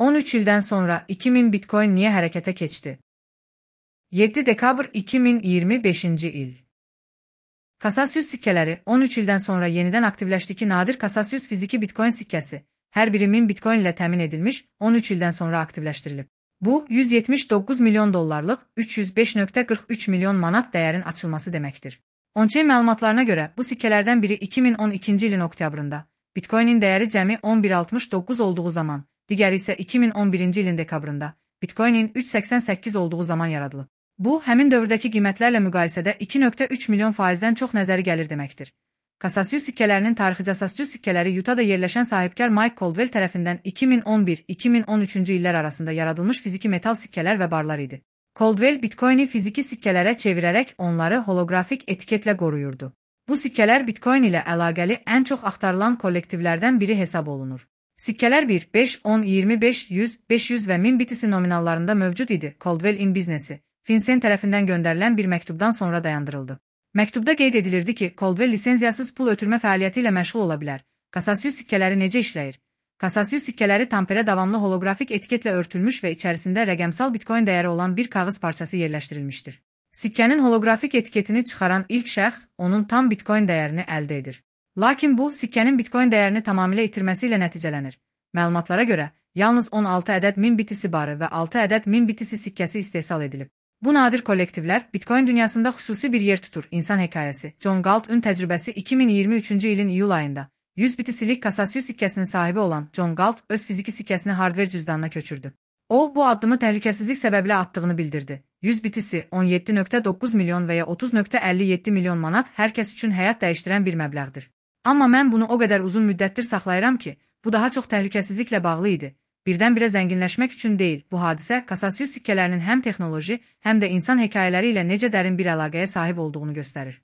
13 ildən sonra 2000 Bitcoin niyə hərəkətə keçdi? 7 dekabr 2025-ci il. Cassius sikkələri 13 ildən sonra yenidən aktivləşdi ki, nadir Cassius fiziki Bitcoin sikkəsi, hər biri 1000 Bitcoin ilə təmin edilmiş, 13 ildən sonra aktivləşdirilib. Bu, 179 milyon dollarlıq 305,43 milyon manat dəyərin açılması deməkdir. On-chain məlumatlarına görə, bu sikkələrdən biri 2012-ci ilin oktyabrında, Bitcoinin dəyəri cəmi 11,69 olduğu zaman, digəri isə 2011-ci ilin dekabrında, Bitcoinin 3,88 olduğu zaman yaradılıb. Bu, həmin dövrdəki qiymətlərlə müqayisədə 2,3 milyon faizdən çox nəzəri gəlir deməkdir. Cassius sikkələrinin tarixi Cassius sikkələri Utah'da yerləşən sahibkar Mike Caldwell tərəfindən 2011-2013-cü illər arasında yaradılmış fiziki metal sikkələr və barlar idi. Caldwell Bitcoin'i fiziki sikkələrə çevirərək onları holoqrafik etiketlə qoruyurdu. Bu sikkələr Bitcoin ilə əlaqəli ən çox axtarılan kollektivlərdən biri hesab olunur. Sikkələr 1, 5, 10, 25, 100, 500 və 1000 BTC nominallarında mövcud idi. Caldwell in biznesi, FinCEN tərəfindən göndərilən bir məktubdan sonra dayandırıldı. Məktubda qeyd edilirdi ki, Caldwell lisenziyasız pul ötürmə fəaliyyəti ilə məşğul ola bilər. Cassius sikkələri necə işləyir? Cassius sikkələri tamperə davamlı holoqrafik etiketlə örtülmüş və içərisində rəqəmsal Bitcoin dəyəri olan bir kağız parçası yerləşdirilmişdir. Sikkənin holoqrafik etiketini çıxaran ilk şəxs onun tam Bitcoin dəyərini əldə edir. Lakin bu, sikkənin Bitcoin dəyərini tamamilə itirməsi ilə nəticələnir. Məlumatlara görə, yalnız 16 ədəd 1000 BTC barı və 6 ədəd 1000 BTC sikkəsi istehsal edilib. Bu nadir kollektivlər Bitcoin dünyasında xüsusi bir yer tutur. İnsan hekayəsi, John Galt'ın təcrübəsi 2023-cü ilin iyul ayında 100 BTC-lik Cassius sikkəsinin sahibi olan John Galt öz fiziki sikkəsini hardware cüzdanına köçürdü. O, bu addımı təhlükəsizlik səbəbilə atdığını bildirdi. 100 BTC 17,9 milyon və ya 30,57 milyon manat hər kəs üçün həyat dəyişdirən bir məbləğdir. Amma mən bunu o qədər uzun müddətdir saxlayıram ki, bu daha çox təhlükəsizliklə bağlı idi. Birdən-birə zənginləşmək üçün deyil, bu hadisə Cassius sikkələrinin həm texnoloji, həm də insan hekayələri ilə necə dərin bir əlaqəyə sahib olduğunu göstərir.